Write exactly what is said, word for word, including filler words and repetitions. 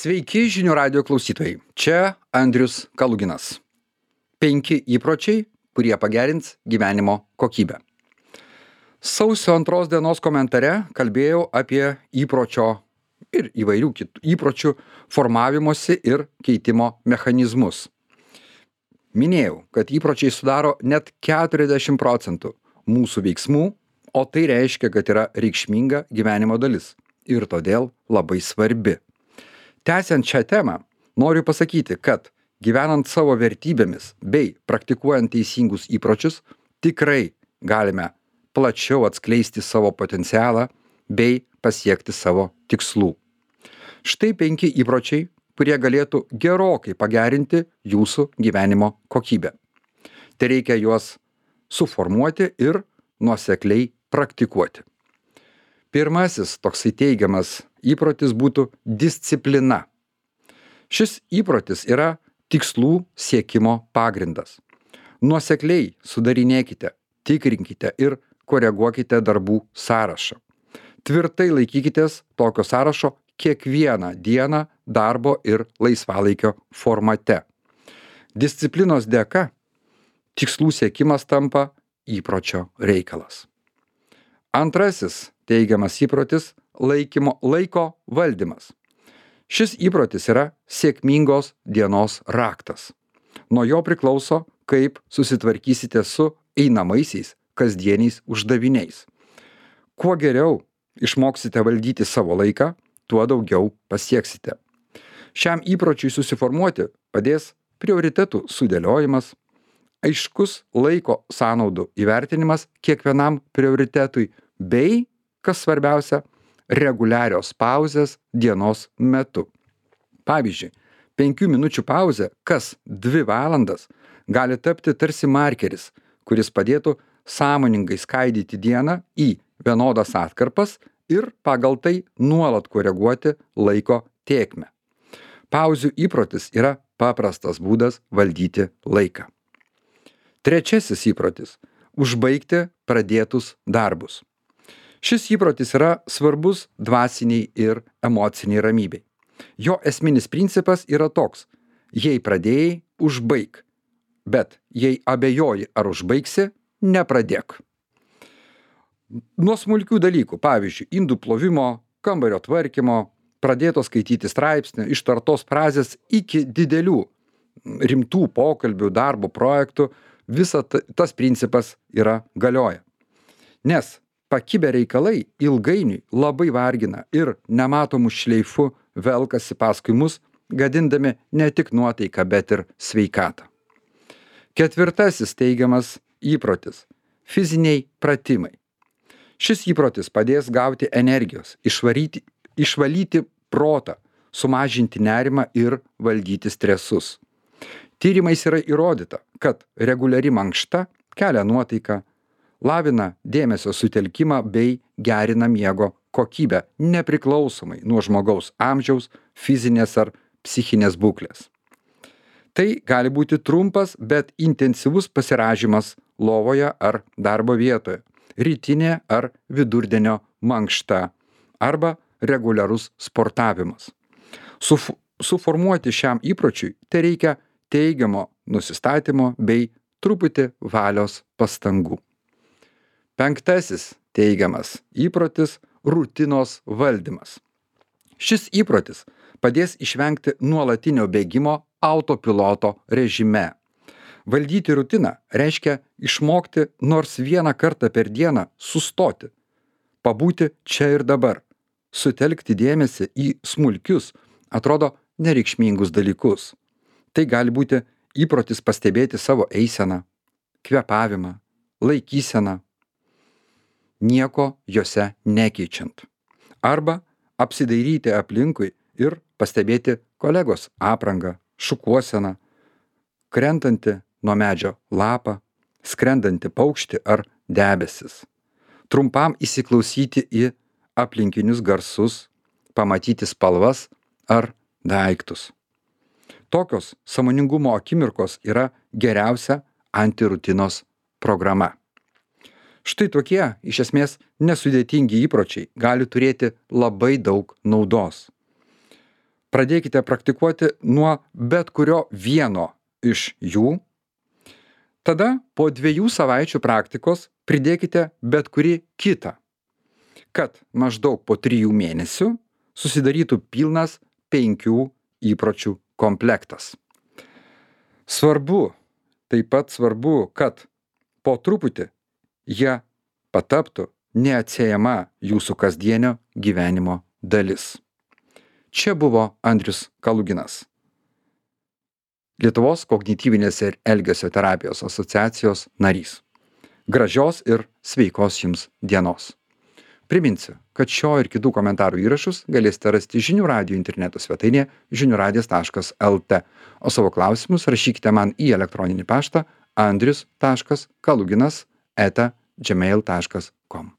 Sveiki žinių radio klausytojai. Čia Andrius Kaluginas. Penki įpročiai, kurie pagerins gyvenimo kokybę. Sausio antros dienos komentare kalbėjau apie įpročio ir įvairių kitų įpročių formavimosi ir keitimo mechanizmus. Minėjau, kad įpročiai sudaro net keturiasdešimt procentų mūsų veiksmų, o tai reiškia, kad yra reikšminga gyvenimo dalis ir todėl labai svarbi. Tęsiant šią temą, noriu pasakyti, kad gyvenant savo vertybėmis bei praktikuojant teisingus įpročius, tikrai galime plačiau atskleisti savo potencialą bei pasiekti savo tikslų. Štai penki įpročiai, kurie galėtų gerokai pagerinti jūsų gyvenimo kokybę. Tai reikia juos suformuoti ir nuosekliai praktikuoti. Pirmasis toksai teigiamas įprotis būtų disciplina. Šis įprotis yra tikslų siekimo pagrindas. Nuosekliai sudarinėkite, tikrinkite ir koreguokite darbų sąrašą. Tvirtai laikykitės tokio sąrašo kiekvieną dieną darbo ir laisvalaikio formate. Disciplinos dėka tikslų siekimas tampa įpročio reikalas. Antrasis teigiamas įprotis – laikymo, laiko valdymas. Šis įprotis yra sėkmingos dienos raktas. Nuo jo priklauso, kaip susitvarkysite su einamaisiais kasdieniais uždaviniais. Kuo geriau išmoksite valdyti savo laiką, tuo daugiau pasieksite. Šiam įpročiui susiformuoti padės prioritetų sudėliojimas, aiškus laiko sąnaudų įvertinimas kiekvienam prioritetui bei, kas svarbiausia, reguliarios pauzės dienos metu. Pavyzdžiui, penkių minučių pauzė kas dvi valandas gali tapti tarsi markeris, kuris padėtų sąmoningai skaidyti dieną į vienodas atkarpas ir pagal tai nuolat koreguoti laiko tėkmę. Pauzių įprotis yra paprastas būdas valdyti laiką. Trečiasis įprotis – užbaigti pradėtus darbus. Šis įprotis yra svarbus dvasiniai ir emociniai ramybei. Jo esminis principas yra toks – jei pradėjai, užbaik, bet jei abejoji ar užbaigsi, nepradėk. Nuo smulkių dalykų, pavyzdžiui, indų plovimo, kambario tvarkymo, pradėto skaityti straipsnį, ištartos frazės iki didelių rimtų pokalbių, darbo projektų, visas tas principas yra galioja. Nes pakibę reikalai ilgainiui labai vargina ir nematomų šleifu velkasi paskui mus, gadindami ne tik nuotaiką, bet ir sveikatą. Ketvirtasis teigiamas įprotis – fiziniai pratimai. Šis įprotis padės gauti energijos, išvaryti, išvalyti protą, sumažinti nerimą ir valdyti stresus. Tyrimais yra įrodyta, kad reguliari mankšta kelia nuotaiką, lavina dėmesio sutelkimą bei gerina miego kokybę, nepriklausomai nuo žmogaus amžiaus, fizinės ar psichinės būklės. Tai gali būti trumpas, bet intensyvus pasirąžymas lovoje ar darbo vietoje, rytinė ar vidurdienio mankšta arba reguliarus sportavimas. Suf- suformuoti šiam įpročiui tai reikia teigiamo nusistatymo bei truputį valios pastangų. Penktasis teigiamas įprotis – rutinos valdymas. Šis įprotis padės išvengti nuolatinio bėgimo autopiloto režime. Valdyti rutiną reiškia išmokti nors vieną kartą per dieną sustoti, pabūti čia ir dabar, sutelkti dėmesį į smulkius, atrodo nereikšmingus dalykus. Tai gali būti įprotis pastebėti savo eiseną, kvėpavimą, laikyseną, nieko jose nekeičiant. Arba apsidairyti aplinkui ir pastebėti kolegos aprangą, šukuoseną, krentantį nuo medžio lapą, skrendantį paukštį ar debesis. Trumpam įsiklausyti į aplinkinius garsus, pamatyti spalvas ar daiktus. Tokios sąmoningumo akimirkos yra geriausia antirutinos programa. Štai tokie, iš esmės, nesudėtingi įpročiai gali turėti labai daug naudos. Pradėkite praktikuoti nuo bet kurio vieno iš jų. Tada po dviejų savaičių praktikos pridėkite bet kurį kitą, kad maždaug po trijų mėnesių susidarytų pilnas penkių įpročių komplektas. Svarbu, taip pat svarbu, kad po truputį jie pataptų neatsiejama jūsų kasdienio gyvenimo dalis. Čia buvo Andrius Kaluginas, Lietuvos kognityvinės ir elgesio terapijos asociacijos narys. Gražios ir sveikos jums dienos. Priminsiu, kad šio ir kitų komentarų įrašus galėsite rasti žinių radijo interneto svetainėje žinių radijas taškas el te, o savo klausimus rašykite man į elektroninį paštą andrius taškas kaluginas eta gmail taškas com.